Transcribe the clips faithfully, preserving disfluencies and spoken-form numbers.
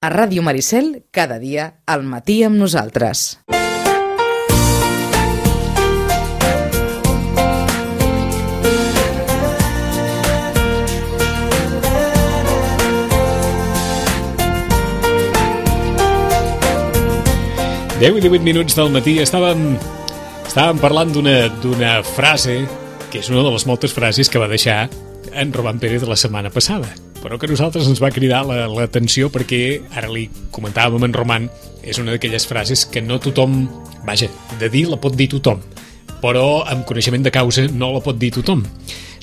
A Ràdio Maricel, cada dia, al matí amb nosaltres. deu i divuit minuts del matí. Estàvem, estàvem parlant d'una d'una frase que és una de les moltes frases que va deixar en Roman Pérez la setmana passada, però que a nosaltres ens va cridar l'atenció la, perquè ara li comentàvem amb en Roman, és una d'aquelles frases que no tothom, vaja, de dir la pot dir tothom, però amb coneixement de causa no la pot dir tothom.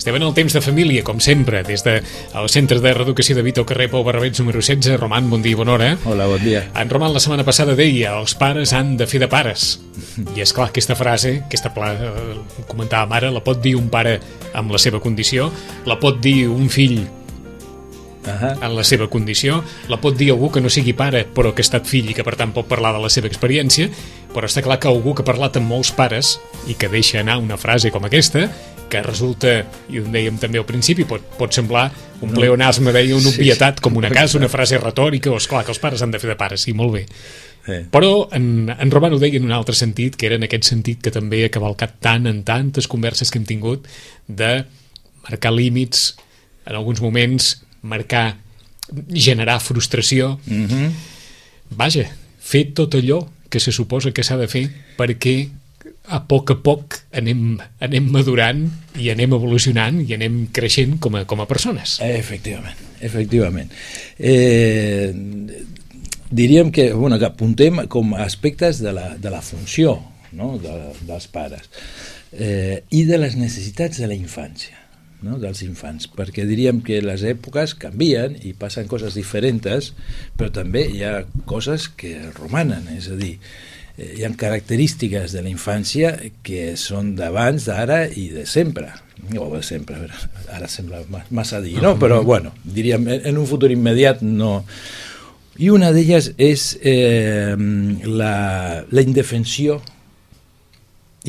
Estem en el temps de família, com sempre, des del Centre de Reeducació de Vito, carrer Pau Barrabets, número setze. Roman, bon dia i bona hora. Hola, bon dia. En Roman la setmana passada deia, els pares han de fer de pares. I és clar, aquesta frase, aquesta pla, eh, comentàvem ara, la pot dir un pare amb la seva condició, la pot dir un fill Uh-huh. en la seva condició, la pot dir algú que no sigui pare però que ha estat fill i que per tant pot parlar de la seva experiència, però està clar que algú que ha parlat amb molts pares i que deixa anar una frase com aquesta, que resulta, i ho dèiem també al principi, pot, pot semblar un no. pleonasme, deia, una obvietat, sí, sí. com una casa, una frase retòrica, o esclar que els pares han de fer de pares, sí, molt bé. Sí. Però en, en Roman ho deia en un altre sentit, que era en aquest sentit que també ha cavalcat tant en tantes converses que hem tingut de marcar límits, en alguns moments marcar, generar frustració. Mm-hmm. Vaja, fer tot allò que se suposa que s'ha de fer perquè a poc a poc anem, anem madurant i anem evolucionant i anem creixent com a, com a persones. Efectivament, efectivament. Eh, diríem que, bueno, que apuntem com a aspectes de la, de la funció, no? de, dels pares eh, i de les necessitats de la infància. No, dels infants, perquè diríem que les èpoques canvien i passen coses diferents, però també hi ha coses que romanen, és a dir, hi ha característiques de la infància que són d'abans, d'ara i de sempre, o de sempre, ara sembla massa dir, no? Però bueno, diríem, en un futur immediat no. I una d'elles és eh, la, la indefensió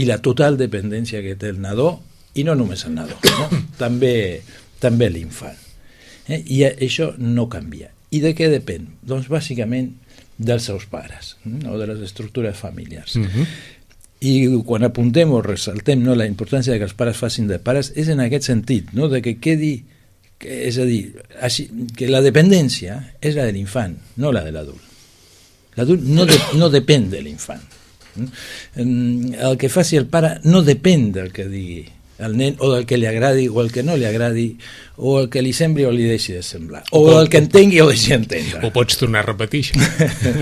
i la total dependència que té el nadó, i no només el nadó, no? també, també l'infant. Eh? I això no canvia. I de què depèn? Doncs bàsicament dels seus pares, no? O de les estructures familiars. Uh-huh. I quan apuntem o ressaltem, no, la importància de que els pares facin de pares és en aquest sentit, no? De que quedi, que, és a dir, així, que la dependència és la de l'infant, no la de l'adult. L'adult no, de, no depèn de l'infant. El que faci el pare no depèn del que digui el nen, o del que li agradi o el que no li agradi, o el que li sembli o li deixi de semblar, o, o el que entengui o deixi entendre. Ho pots tornar a repetir, això.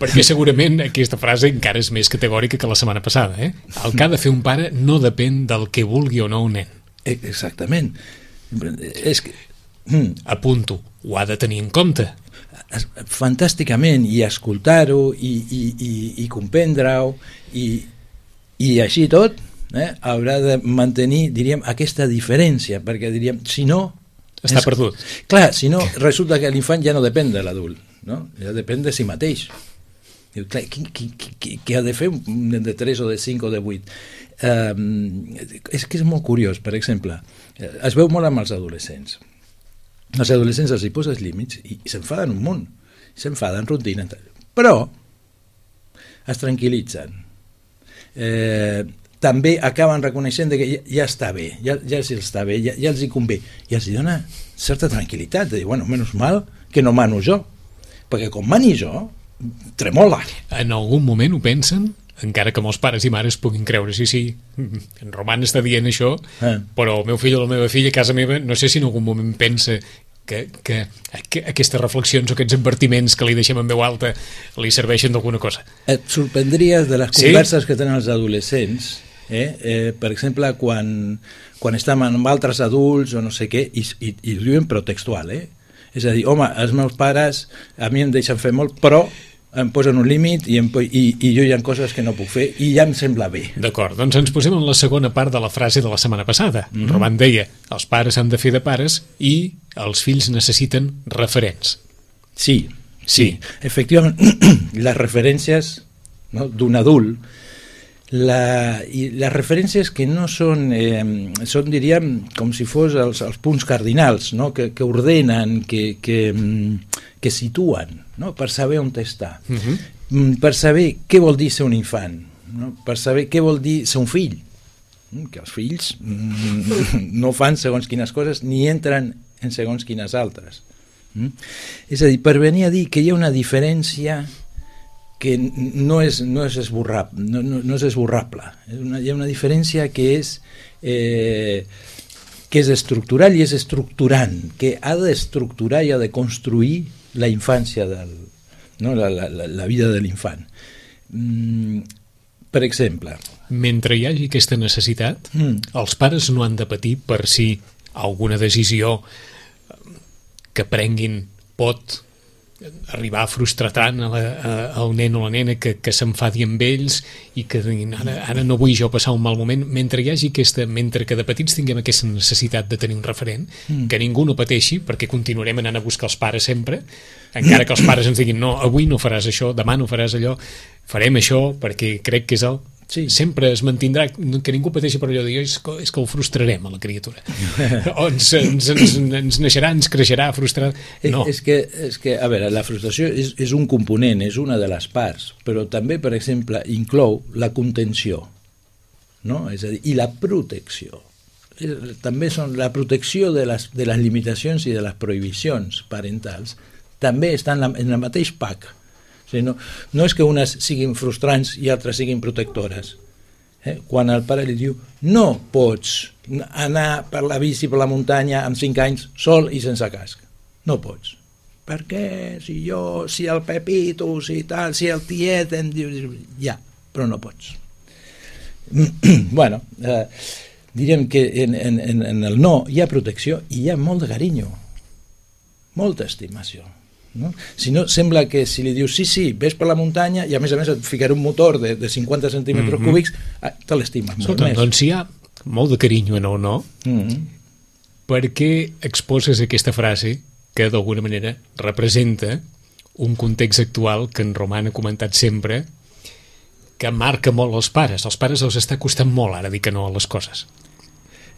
Perquè segurament aquesta frase encara és més categòrica que la setmana passada, eh? El que ha de fer un pare no depèn del que vulgui o no un nen. Exactament. És que... Apunto, ho ha de tenir en compte. Fantàsticament, i escoltar-ho i, i, i, i comprendre-ho i, i així tot, Eh, haurà de mantenir, diríem, aquesta diferència, perquè diríem, si no... Està és, perdut. Clar, si no, resulta que l'infant ja no depèn de l'adult, no? Ja depèn de si mateix. Diu, clar, qui, qui, qui, qui ha de fer un nen de tres o de cinc o de vuit? Um, és que és molt curiós, per exemple, es veu molt amb els adolescents. Els adolescents els hi poses límits i, i s'enfaden un munt, s'enfaden, rutinen, però es tranquil·litzen. Eh... també acaben reconeixent que ja, ja està bé, ja, ja els està bé, ja, ja els hi convé, i els dona certa tranquil·litat, de dir, bueno, menys mal que no mano jo, perquè com mani jo, tremola. En algun moment ho pensen? Encara que molts pares i mares puguin creure, sí, sí, en Roman està dient això, eh. però el meu fill o la meva filla a casa meva, no sé si en algun moment pensa que, que, que aquestes reflexions o aquests advertiments que li deixem en veu alta li serveixen d'alguna cosa. Et sorprendries de les converses sí? que tenen els adolescents, eh? Eh, per exemple, quan, quan estem amb altres adults o no sé què, i, i, i diuen però textual, eh? És a dir, home, els meus pares a mi em deixen fer molt, però em posen un límit i, em, i, i jo hi ha coses que no puc fer i ja em sembla bé. D'acord, doncs ens posem en la segona part de la frase de la setmana passada. Mm-hmm. Roman deia, els pares han de fer de pares i els fills necessiten referents. Sí, sí, sí. Efectivament, les referències, no, d'un adult la, i les referències que no són, eh, són diríem, com si fos els, els punts cardinals, no? que, que ordenen, que, que, que situen, no? Per saber on està, uh-huh. per saber què vol dir ser un infant, no? Per saber què vol dir ser un fill, que els fills no fan segons quines coses ni entren en segons quines altres. Mm? És a dir, per venir a dir que hi ha una diferència que no és, no és, esborrable, no, no, no és esborrable. És una, hi ha una diferència que és, eh, que és estructural i és estructurant, que ha d'estructurar i ha de construir la infància, del, no? la, la, la vida de l'infant. Mm, per exemple... Mentre hi hagi aquesta necessitat, mm. els pares no han de patir per si alguna decisió que prenguin pot arribar a frustrar tant a la, a, al nen o la nena que, que s'enfadi amb ells i que diguin, ara, ara no vull jo passar un mal moment. Mentre hi hagi aquesta, mentre que de petits tinguem aquesta necessitat de tenir un referent, mm. que ningú no pateixi, perquè continuarem anant a buscar els pares sempre, encara que els pares ens diguin no, avui no faràs això, demà no faràs allò, farem això perquè crec que és el... Sí. Sempre es mantindrà, que ningú pateixi per allò de dir, és que, és que el frustrarem a la criatura o ens, ens, ens, ens naixerà, ens creixerà frustrat. No. És, que, és que, a veure, la frustració és, és un component, és una de les parts, però també, per exemple, inclou la contenció, no? És a dir, i la protecció. També són la protecció de les, de les limitacions i de les prohibicions parentals, també està en, la, en el mateix pack. No, no és que unes siguin frustrants i altres siguin protectores. Eh? Quan el pare li diu no pots anar per la bici per la muntanya amb cinc anys sol i sense casc, no pots. Per què? Si jo, si el Pepito, si tal, si el tiet em diu, ja, però no pots. Bueno, eh, diríem que en, en, en el no hi ha protecció i hi ha molt de carinyo, molta estimació. No? Si no, sembla que si li dius sí, sí, ves per la muntanya i a més a més et ficaré un motor de, de cinquanta centímetres mm-hmm. cúbics, ah, te l'estimes molt Escolta, més. Doncs hi ha molt de carinyo en el no, mm-hmm. per què exposes aquesta frase que d'alguna manera representa un context actual que en Roman ha comentat sempre, que marca molt els pares. Els pares els està costant molt ara dir que no a les coses.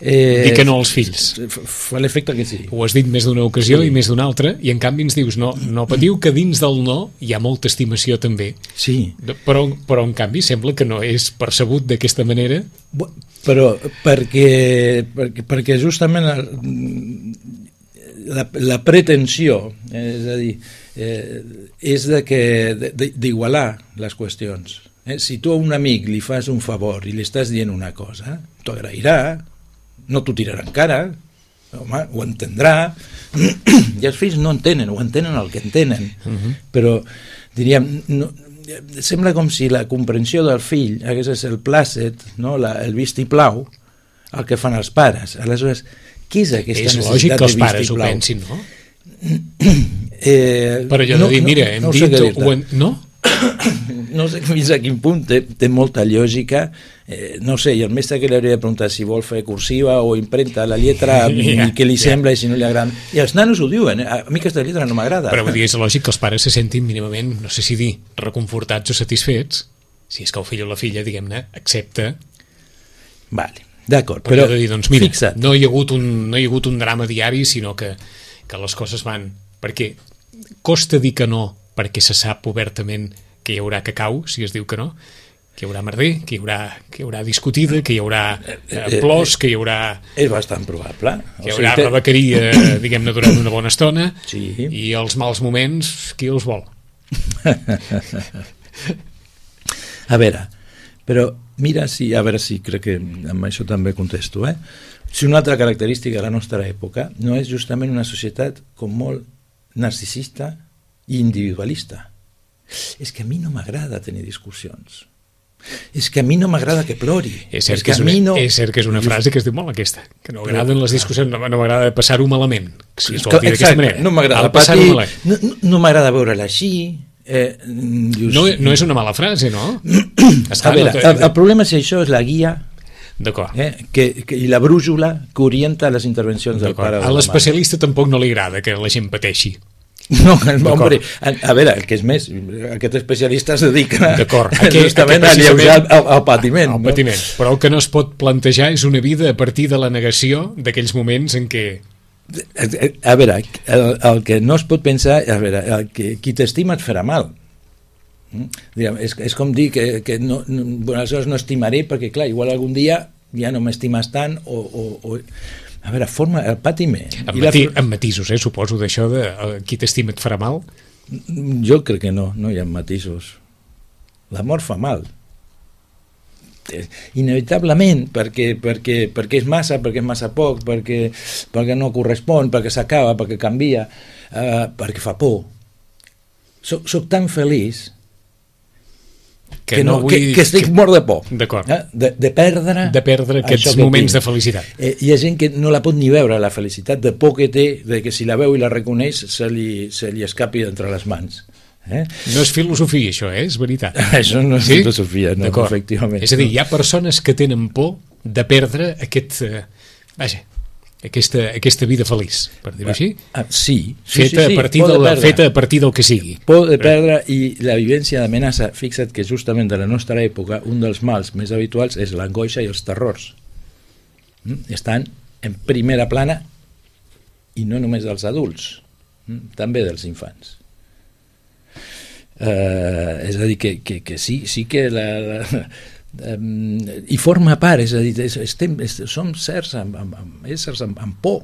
Eh, dir que no als fills. Fa l'efecte que sí. Ho has dit més d'una ocasió sí. i més d'una altra, i en canvi ens dius no, no patiu que dins del no hi ha molta estimació també. Sí. Però, però en canvi sembla que no és percebut d'aquesta manera. Però perquè, perquè, perquè justament la, la pretensió, és a dir, eh, és de que d'igualar les qüestions. Eh? Si tu a un amic li fas un favor i li estàs dient una cosa, t'ho agrairà, no t'ho tirarà en cara, home, ho entendrà, i els fills no entenen, ho entenen el que entenen, uh-huh. però diríem, no, sembla com si la comprensió del fill hagués de ser el plàcet, no? la, el vistiplau, el que fan els pares. Aleshores, què és aquesta és necessitat de vistiplau? És lògic que els pares ho pensin, no? eh, però allò de dir, mira, hem no, no dit... Ho, no? No sé fins a quin punt té, té molta lògica, eh, no sé, i el mestre que li hauria de preguntar si vol fer cursiva o imprenta la lletra yeah, i què li yeah. sembla i si no li agrada, i els nanos ho diuen, eh? A mi aquesta lletra no m'agrada, però vull dir, és lògic que els pares se sentin mínimament, no sé si dir reconfortats o satisfets si és que el fill o la filla, diguem-ne, accepta. Vale, d'acord, però de dir, doncs mira, fixa't, no hi ha hagut un, no hi ha hagut un drama diari, sinó que, que les coses van, perquè costa dir que no perquè se sap obertament que hi haurà cacau, si es diu que no, que hi haurà merder, que hi haurà, que hi haurà discutida, que hi haurà eh, plors, que hi haurà... És bastant probable. Que hi haurà o sigui, rebequeria, diguem-ne, durant una bona estona, sí. i els mals moments, qui els vol? A veure, però mira si, a veure si crec que amb això també contesto, eh? Si una altra característica de la nostra època no és justament una societat com molt narcisista i individualista. És que a mi no m'agrada tenir discussions. És que a mi no m'agrada que plori. És cert, és que, és una, no... és cert que és una frase que es diu molt aquesta, que no agraden les discussions, no, no m'agrada passar-ho malament, si es vol dir d'aquesta manera. No m'agrada patir, no, no m'agrada veure-la així. Eh, dius, no, no és una mala frase, no? Esclar, a veure, no el, el problema és que això és la guia eh, que, que, i la brújula que orienta les intervencions del pare. A l'especialista tampoc no li agrada que la gent pateixi. No, hombre, a, a veure, el que és més, aquest especialista es dedica Aquest, justament a alleujar el, el patiment. El no? patiment. Però el que no es pot plantejar és una vida a partir de la negació d'aquells moments en què... A veure, el, el que no es pot pensar, a veure, el que, qui t'estima et farà mal. Diguem, és, és com dir que, que no, no, bueno, aleshores no estimaré perquè, clar, igual algun dia ja no m'estimes tant o... o, o a veure, forma el patiment... Amb, mati, la... amb matisos, eh, suposo, d'això de uh, qui t'estima et farà mal? Jo crec que no, no hi ha matisos. L'amor fa mal. Inevitablement, perquè, perquè, perquè és massa, perquè és massa poc, perquè, perquè no correspon, perquè s'acaba, perquè canvia, uh, perquè fa por. Soc, soc tan feliç que, que, no, no, que, que estic que... mort de por, eh? de, de perdre de perdre aquests moments tinc. De felicitat. Eh, hi ha gent que no la pot ni veure, la felicitat, de por que té, de que si la veu i la reconeix se li, se li escapi d'entre les mans. Eh? No és filosofia, això, eh? És veritat. Això no és sí? filosofia, no, efectivament. És a dir, hi ha persones que tenen por de perdre aquest... Eh, vaja, aquesta, aquesta vida feliç, per dir-ho així. Ah, sí, sí, feta, sí, sí. A partir de la, feta a partir del que sigui. Por de perdre i la vivència d'amenaça. Fixa't que justament de la nostra època un dels mals més habituals és l'angoixa i els terrors. Estan en primera plana i no només dels adults, també dels infants. Uh, és a dir, que, que, que sí, sí que la... la Um, i forma part, és a dir, estem, som certs amb, amb, amb éssers amb, amb por,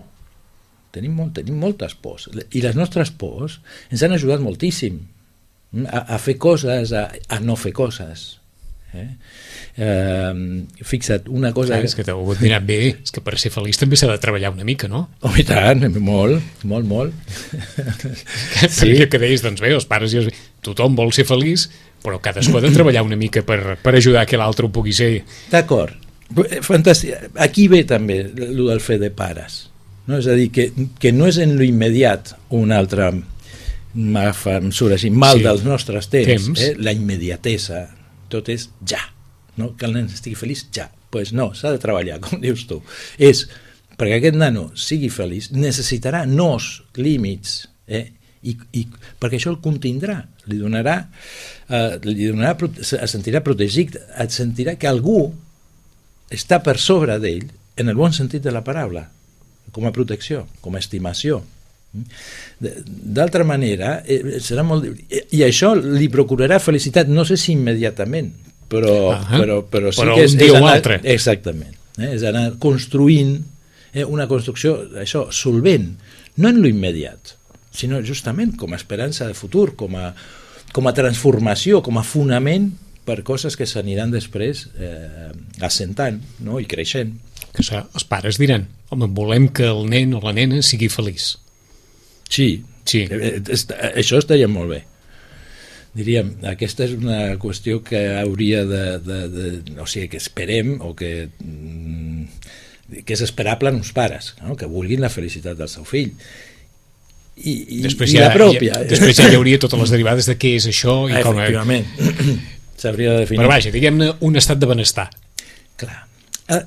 tenim, molt, tenim moltes pors i les nostres pors ens han ajudat moltíssim a, a fer coses, a, a no fer coses, eh? Uh, fixa't, una cosa... Clar, és que t'ho et diran bé, és que per ser feliç també s'ha de treballar una mica, no? Oh, i tant, molt, molt, molt. Sí. Perquè que deies, doncs bé, els pares i els... tothom vol ser feliç, però cadascú ha de treballar una mica per, per ajudar que l'altre ho pugui ser. D'acord, fantàstic. Aquí ve també el del fer de pares, no? És a dir, que, que no és en lo immediat un altre mesura així, mal sí. dels nostres temps, temps. Eh? La immediatesa, tot és ja, no? Que el nen estigui feliç ja, doncs pues no, s'ha de treballar, com dius tu, és perquè aquest nano sigui feliç necessitarà nous límits, eh? I, i perquè això el contindrà, li donarà, eh, li donarà es sentirà protegit, et sentirà que algú està per sobre d'ell en el bon sentit de la paraula, com a protecció, com a estimació. D'altra manera eh, serà molt... i això li procurarà felicitat, no sé si immediatament, però, uh-huh. però, però sí però que és, un dia és o anar, altre. Exactament, eh, és anar construint eh, una construcció, això, solvent, no en lo immediat, sinó justament com a esperança de futur, com a, com a transformació, com a fonament per coses que s'aniran després eh, assentant, no? I creixent. Que això, els pares diran, home, volem que el nen o la nena sigui feliç. Sí, sí. Eh, això estaria molt bé. Diríem, aquesta és una qüestió que hauria de, de, de o sigui, que esperem o que, que és esperable en uns pares, no? Que vulguin la felicitat del seu fill. I, i, després i ja, la pròpia. Ja, després ja hi hauria totes les derivades de què és això i ah, com... Efectivament. S'hauria de definir. Però vaja, diguem-ne un estat de benestar. Clar. Ah,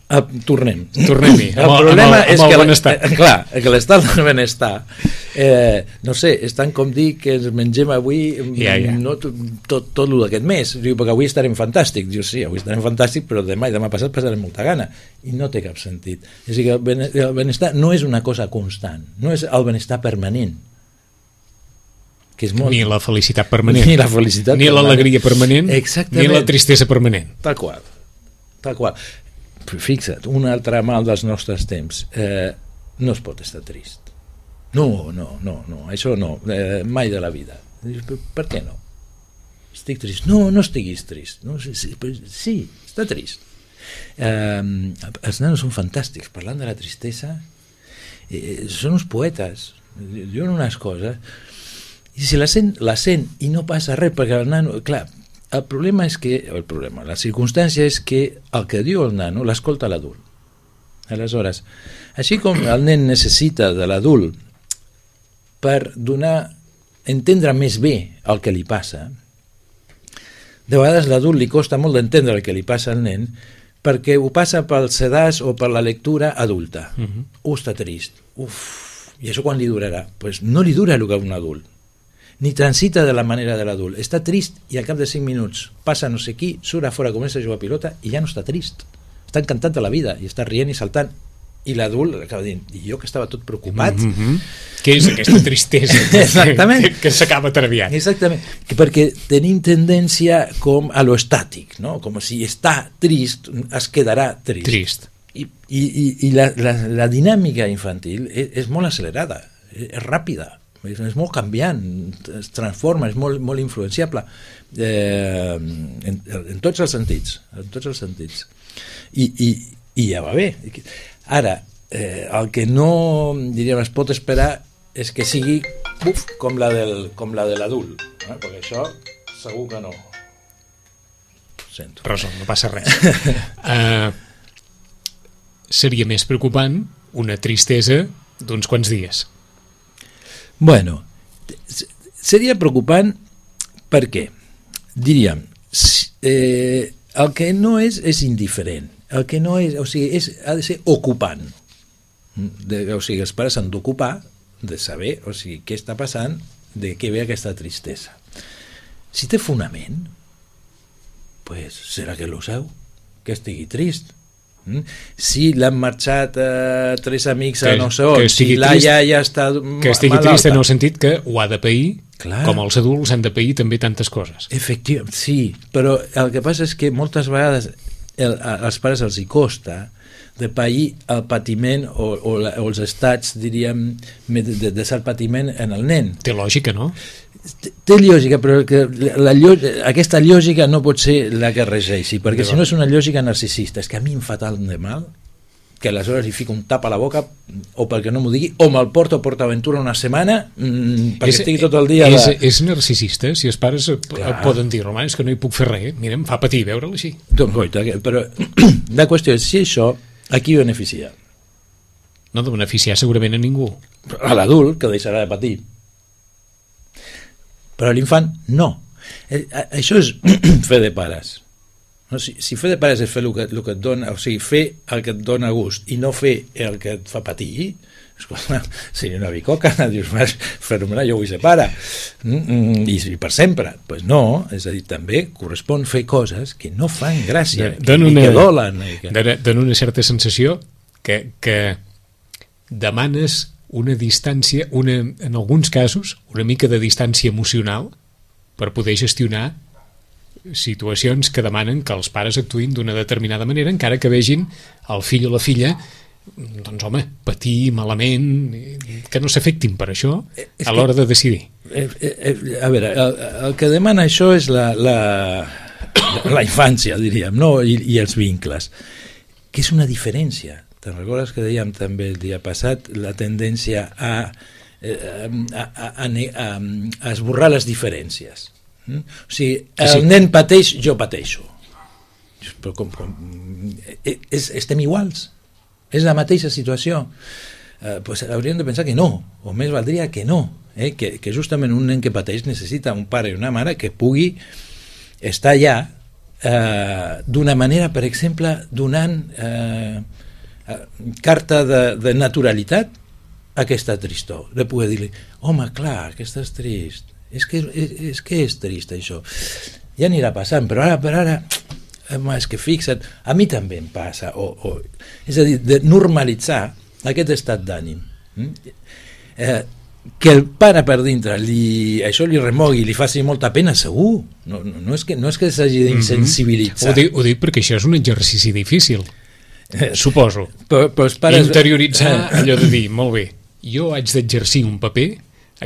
ah, tornem. Tornem-hi. El problema amb el, és que, benestar. Eh, clar, que l'estat del benestar eh, no sé, és tant com dir que ens mengem avui ja, ja. no, tot, tot, tot el d'aquest mes. Diu, perquè avui estarem fantàstics. Diu, sí, avui estarem fantàstics, però demà i demà passat passarem molta gana. I no té cap sentit. És a dir, que el benestar no és una cosa constant, no és el benestar permanent. Que és molt... Ni la felicitat permanent. Ni la felicitat ni l'alegria permanent. Exactament. Ni la tristesa permanent. Tal qual. Tal qual. Fixa't, un altre mal dels nostres temps. Eh, no es pot estar trist. No, no, no, no, això no, eh, mai de la vida. Per, per què no? Estic trist. No, no estiguis trist. No, sí, sí, sí, està trist. Eh, els nanos són fantàstics, parlant de la tristesa, eh, són uns poetes, diuen unes coses, i si la sent, la sent i no passa res, perquè el nano, clar, el problema és que, el problema, la circumstància és que el que diu el nano l'escolta l'adult. Aleshores, així com el nen necessita de l'adult per donar, entendre més bé el que li passa, de vegades l'adult li costa molt d'entendre el que li passa al nen perquè ho passa pel sedàs o per la lectura adulta. Uh-huh. Uh, està trist. Uf, I això quan li durarà? Pues no li dura el que un adult, ni transita de la manera de l'adult. Està trist i al cap de cinc minuts passa no sé qui, surt a fora, comença a jugar a pilota i ja no està trist. Està encantat de la vida i està rient i saltant. I l'adult acaba dient, i jo que estava tot preocupat. Mm-hmm. Què és aquesta tristesa Exactament. que, que s'acaba traviant? Exactament, perquè tenim tendència com a lo estàtic, no? Com si està trist, es quedarà trist. Trist. I, i, i la, la, la dinàmica infantil és, és molt accelerada, és, és ràpida, és, és molt canviant, es transforma, és molt, molt influenciable eh, en, en tots els sentits, en tots els sentits. I, i, i ja va bé. Ara, eh, el que no, diríem, es pot esperar és que sigui uf, com la del, com la de l'adult, eh? Perquè això segur que no. Sento. Resol, no passa res. uh, seria més preocupant una tristesa d'uns quants dies. Bueno, seria preocupant perquè, diríem, eh, el que no és és indiferent. El que no és, o sigui, és, ha de ser ocupant. De, o sigui, els pares s'han d'ocupar de saber, o sigui, què està passant, de què ve aquesta tristesa. Si té fonament, pues serà que lo seu, que estigui trist. Mm? Si l'han marxat eh, tres amics que, a no sé on, si la iaia està que estigui malalta. Trist en el sentit que ho ha de pair. Clar. Com els adults han de pair també tantes coses. Efectivament, sí, però el que passa és que moltes vegades el, als pares els hi costa de pair el patiment o, o, la, o els estats, diríem, de, de, de ser el patiment en el nen. Té lògica, no? Té, té lògica, però que la, la, aquesta lògica no pot ser la que regeixi, perquè si no és una lògica narcisista. És que a mi em fa tant de mal que aleshores li fico un tap a la boca o perquè no m'ho digui, o me'l porto a PortAventura una setmana mmm, perquè és, estigui tot el dia... És, la... és narcisista, si els pares Clar. poden dir, home, és que no hi puc fer res, mira, em fa patir veure-lo així. Doncs, goita, però la qüestió és, si això, a qui beneficia? No de beneficiar segurament a ningú. A l'adult, que deixarà de patir. Però a l'infant, no. Eh, això és fer de pares. No, si, si fer de pares és fer el que, el que et dona, o sigui, fer el que et dona gust i no fer el que et fa patir, escolta, seria una bicoca, dius, fenomenal, jo vull ser pare, mm, mm, i, i per sempre. Doncs pues no, és a dir, també correspon fer coses que no fan gràcia, que, una, que dolen. Que... Dona una certa sensació que, que demanes una distància, una, en alguns casos, una mica de distància emocional per poder gestionar situacions que demanen que els pares actuïn d'una determinada manera, encara que vegin el fill o la filla, doncs home, patir malament, que no s'afectin per això a l'hora de decidir. Eh, eh, a veure, el, el que demana això és la, la, la infància, diríem, no? I, i els vincles, que és una diferència. Te'n recordes que dèiem també el dia passat la tendència a, a, a, a, a, a esborrar les diferències. O sigui, el sí. nen pateix, jo pateixo. Però com, com, és, estem iguals, és la mateixa situació. Eh, pues hauríem de pensar que no, o més valdria que no, eh? que, que justament un nen que pateix necessita un pare i una mare que pugui estar allà eh, d'una manera, per exemple, donant eh, carta de, de naturalitat a aquesta tristor, de poder dir-li, home, clar, que estàs trist, és que és, és que és trist això, ja anirà passant, però ara per ara home, és que fixa't, a mi també em passa, o, o, és a dir, de normalitzar aquest estat d'ànim, eh, que el pare per dintre li, això li remogui, li faci molta pena, segur, no, no, no és que, no és que s'hagi d'insensibilitzar. Mm-hmm. Ho dic, ho dic perquè això és un exercici difícil, eh, suposo, però, però pares... interioritzar allò de dir, molt bé, jo haig d'exercir un paper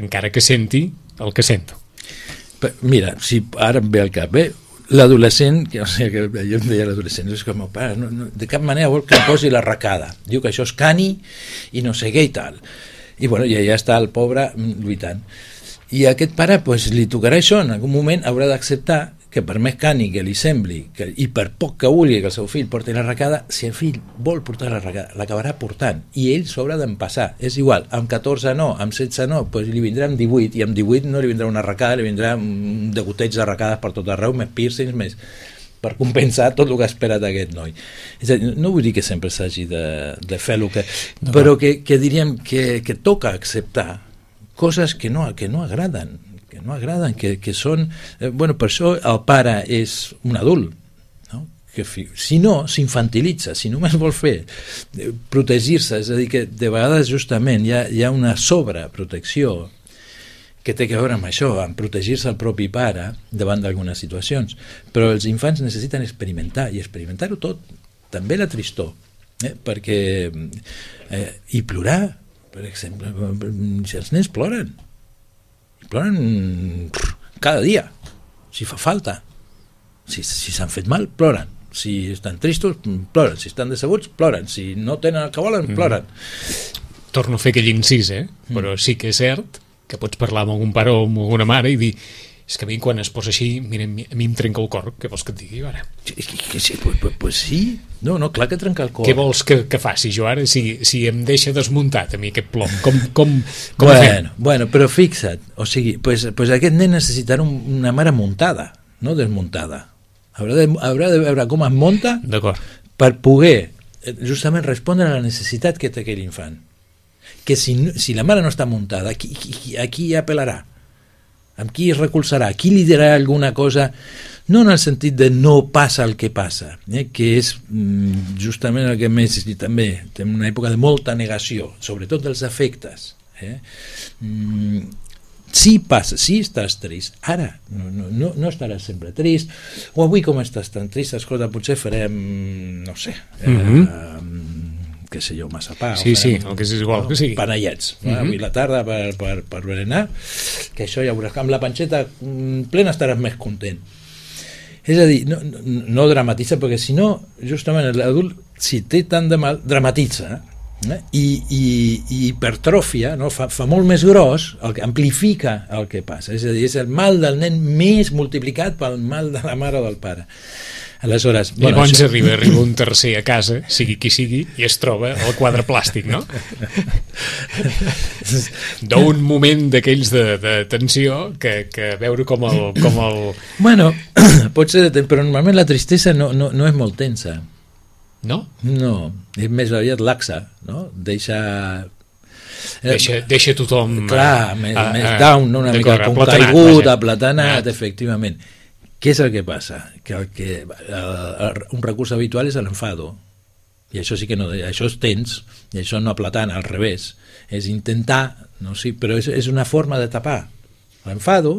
encara que senti el que sento. Mira, si ara em ve al cap, eh? L'adolescent, que, o sigui, que jo em deia l'adolescent, és que el meu pare no, no, de cap manera vol que em posi la racada, diu que això és cani i no sé què i tal, i bueno, ja, ja està el pobre lluitant, i a aquest pare pues, li tocarà això, en algun moment haurà d'acceptar que per més cani que li sembli que, i per poc que vulgui que el seu fill porti la racada, si el fill vol portar la racada, l'acabarà portant i ell s'haurà d'empassar, és igual, amb catorze no, amb setze no, doncs li vindrà amb divuit i amb divuit no li vindrà una racada, li vindrà un degoteig de racades per tot arreu, més piercings, més... per compensar tot el que ha esperat aquest noi. És a dir, no vull dir que sempre s'hagi de, de fer el que... No, però que, que diríem que, que toca acceptar coses que no, que no agraden, que no agraden, que, que són... Eh, bueno, per això el pare és un adult, no? Que fi, si no, s'infantilitza, si només vol fer eh, protegir-se, és a dir, que de vegades justament hi ha, hi ha una sobreprotecció que té a veure amb això, amb protegir-se el propi pare davant d'algunes situacions. Però els infants necessiten experimentar, i experimentar-ho tot, també la tristor, eh? perquè eh, i plorar, per exemple, si els nens ploren, ploren cada dia, si fa falta, si si s'han fet mal, ploren, si estan tristos, ploren, si estan decebuts, ploren, si no tenen el que volen, ploren. Mm. Torno a fer aquell incís, eh? Però sí que és cert que pots parlar amb algun pare o amb alguna mare i dir, és que a mi quan es posa així, mira, a mi em trenca el cor, què vols que et digui ara? Que, que, sí, pues, pues, pues sí, no, no, clar que trenca el cor. Què vols que, que faci jo ara si, si em deixa desmuntat a mi aquest plom? Com, com, com bueno, bueno, però fixa't, o sigui, pues, pues aquest nen necessitarà un, una mare muntada, no desmuntada. Haurà de, haurà de veure com es munta per poder justament respondre a la necessitat que té aquell infant. Que si, si la mare no està muntada, a qui, qui, a qui apel·larà? Amb qui es recolzarà? A qui li dirà alguna cosa? No en el sentit de no passa el que passa, eh? que és mm, justament el que més també té una època de molta negació, sobretot dels afectes. Eh? Mm, sí passa, sí estàs trist, ara, no, no, no, no estaràs sempre trist, o avui com estàs tan trist, escolta, potser farem, no sé, eh, mm-hmm. eh, què sé jo, massapà, sí, sí, el que és igual, no, que sigui. Panellets, mm-hmm. avui la tarda per, per, per berenar, que això ja veuràs, amb la panxeta plena estaràs més content. És a dir, no, no, no dramatitza, perquè si no, justament l'adult, si té tant de mal, dramatitza, eh? I, i, i hipertròfia, no? fa, fa molt més gros, el que amplifica el que passa, és a dir, és el mal del nen més multiplicat pel mal de la mare o del pare. Aleshores, I llavors això... arriba, arriba un tercer a casa, sigui qui sigui, i es troba el quadre plàstic, no? D'un moment d'aquells de, de tensió que, que veure com el, com el... Bueno, pot ser, però normalment la tristesa no, no, no és molt tensa. No? No, és més aviat laxa, no? Deixa... Deixa, deixa tothom... Clar, a, més, a, més down, no? Una mica com caigut, aplatanat, efectivament. Què és el que passa? Que, el que el, un recurs habitual és l'enfado, i això sí que no, això és tens, i això no aplatana, al revés, és intentar, no sé, però és, és una forma de tapar l'enfado,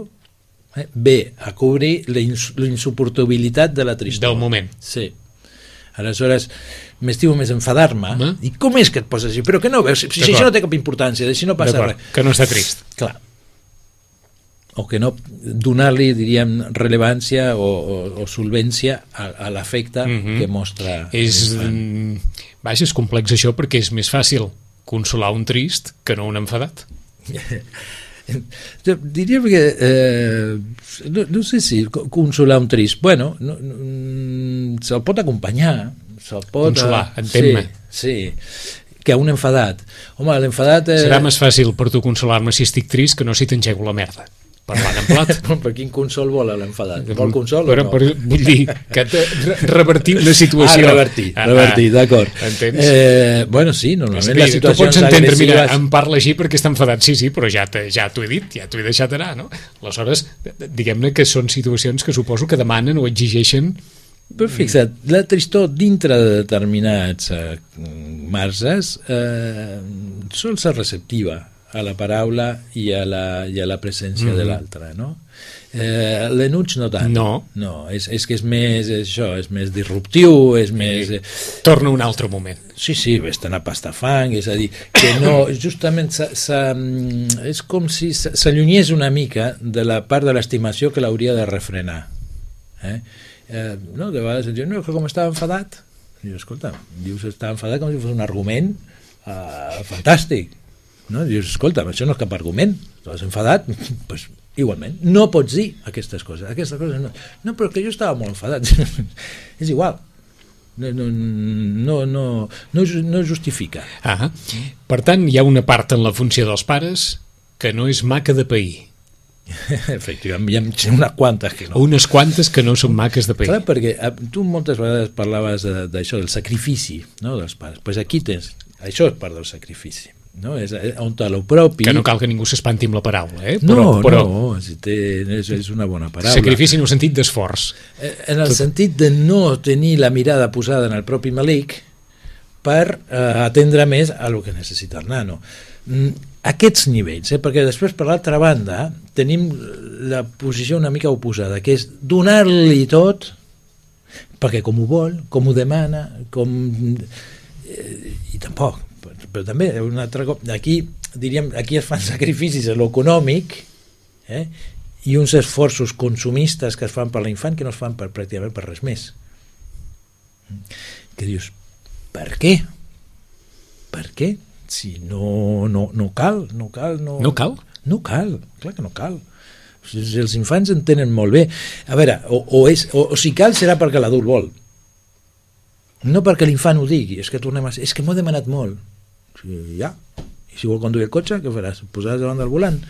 eh, ve a cobrir la, ins, la insuportabilitat de la tristor. Del moment. Sí. Aleshores, m'estimo més enfadar-me, eh? I com és que et poses així? Però que no veus, si, si això no té cap importància, si no passa res. Que no està trist. Clar. O que no donar-li, diríem, rellevància o, o, o solvència a, a l'afecte mm-hmm. que mostra. És, vaja, és complex això perquè és més fàcil consolar un trist que no un enfadat. Diria que eh, no, no sé si consolar un trist, bueno, no, no, se'l pot acompanyar, se'l pot... Consolar, entén-me. Sí, sí, que un enfadat. Home, l'enfadat... Eh... Serà més fàcil per tu consolar-me si estic trist que no si t'engego la merda. Parlant en plat. Per quin consol vol l'enfadat? Vol consol però, o no? Però, vull dir, que revertir una situació. Ah, revertir, ah, revertir, d'acord. Entens? Eh, bueno, sí, normalment dir, les situacions tu pots entendre, agressives... mira, em parla així perquè està enfadat, sí, sí, però ja, ja t'ho he dit, ja t'ho he deixat anar, no? Aleshores, diguem-ne que són situacions que suposo que demanen o exigeixen... Però fixa't, la tristor dintre de determinats eh, marges eh, sol ser receptiva a la paraula i a la, i a la presència mm. de l'altre, no? Eh, l'enuig no tant. No. No, és, és que és més això, és més disruptiu, és més... Eh... Torna un altre moment. Sí, sí, vés-te'n a pastafang, és a dir, que no, justament sa, sa, és com si s'allunyés una mica de la part de l'estimació que l'hauria de refrenar. Eh? Eh, no, de vegades diu, no, que com estava enfadat, i dius, escolta, dius estava enfadat com si fos un argument eh, fantàstic. No? Dius, escolta, això no és cap argument, t'has enfadat, pues, igualment, no pots dir aquestes coses, aquestes coses no, no, però que jo estava molt enfadat, és igual, no, no, no, no, no, no justifica. Ah, per tant, hi ha una part en la funció dels pares que no és maca de pair. Efectivament, hi ha unes quantes que no. Unes quantes que no són maques de pell. Clar, perquè tu moltes vegades parlaves d'això, del sacrifici, no?, dels pares. Doncs pues aquí tens, això és part del sacrifici, no? És on tal propi... Que no cal que ningú s'espanti amb la paraula, eh? Però, no, però... no, té, és, és una bona paraula. Sacrifici en el sentit d'esforç. En el Tot... sentit de no tenir la mirada posada en el propi malic per eh, atendre més a el que necessita el nano. Aquests nivells, eh? Perquè després, per l'altra banda, tenim la posició una mica oposada, que és donar-li tot, perquè com ho vol, com ho demana, com... Eh, i tampoc, però també un altre cop, aquí, diríem, aquí es fan sacrificis a l'econòmic, eh? I uns esforços consumistes que es fan per l'infant que no es fan per, pràcticament per res més. Que dius, per què? Per què? Si no, no, no cal, no cal, no... No cal? No cal, clar que no cal. Si els infants en tenen molt bé. A veure, o, o, és, o, o si cal serà perquè l'adult vol. No perquè l'infant ho digui, és que tornem a ser... És que m'ho he demanat molt. O sigui, ja. I si vol conduir el cotxe, què faràs? Posaràs davant del volant?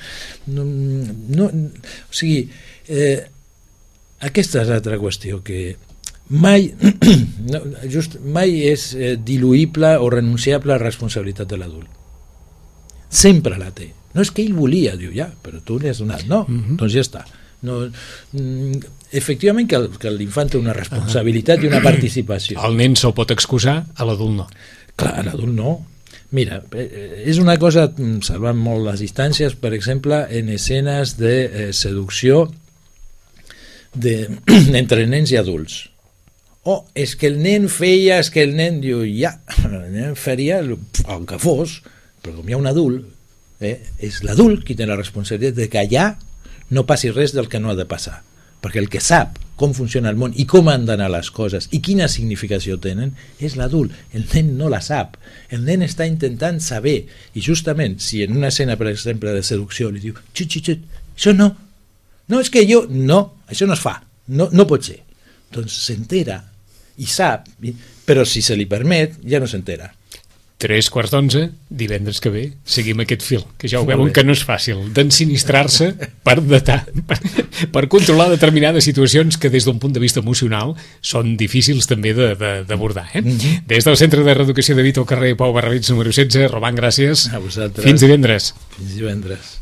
No, no, o sigui, eh, aquesta és l'altra qüestió que... mai no, just, mai és eh, diluïble o renunciable a la responsabilitat de l'adult. Sempre la té. No és que ell volia, diu, ja, però tu li has donat. No, uh-huh. Doncs ja està. No, mm, efectivament que, el, que l'infant té una responsabilitat uh-huh. i una participació. El nen se'l pot excusar, a l'adult no. Clar, a l'adult no. Mira, és una cosa, salvant molt les distàncies, per exemple, en escenes de eh, seducció de, entre nens i adults. Oh, és que el nen feia, és que el nen diu, ja, el nen faria el, el que fos, però com hi ha un adult, eh, és l'adult qui té la responsabilitat de que allà no passi res del que no ha de passar, perquè el que sap com funciona el món i com han d'anar les coses i quina significació tenen és l'adult, el nen no la sap, el nen està intentant saber, i justament si en una escena, per exemple, de seducció li diu, xut, xut, xut, això no, no, és que jo, no, això no es fa, no, no pot ser, doncs s'entera i sap, però si se li permet ja no s'entera. Tres quarts d'onze, divendres que ve seguim aquest fil, que ja ho veuen que no és fàcil d'ensinistrar-se per datar, per, per controlar determinades situacions que des d'un punt de vista emocional són difícils també d'abordar, eh? Mm-hmm. Des del Centre de Reeducació de Vito al carrer Pau Barrabits número setze, Roman, gràcies. A vosaltres. Fins divendres. Fins divendres.